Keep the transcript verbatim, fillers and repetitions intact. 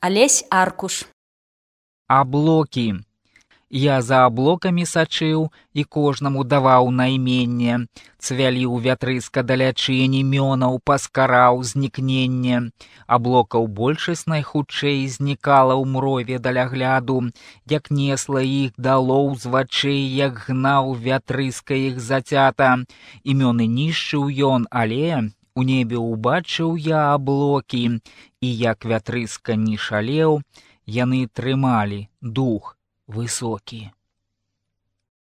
Алесь Аркуш. Аблокі. Я за аблокамі сачыў і кожнаму даваў найменне, цвялі ў вятрыска далячынь імёнаў, паскараў знікненне. Аблокаў большасць найхутчэй знікала ў мрове далягляду, як несла іх далоў з вачэй, як гнаў вятрыска іх зацята. Імёны нішчыў ён, але у небе ўбачыў я аблокі, і як вятрыска не шалеў, яны трымалі дух высокі.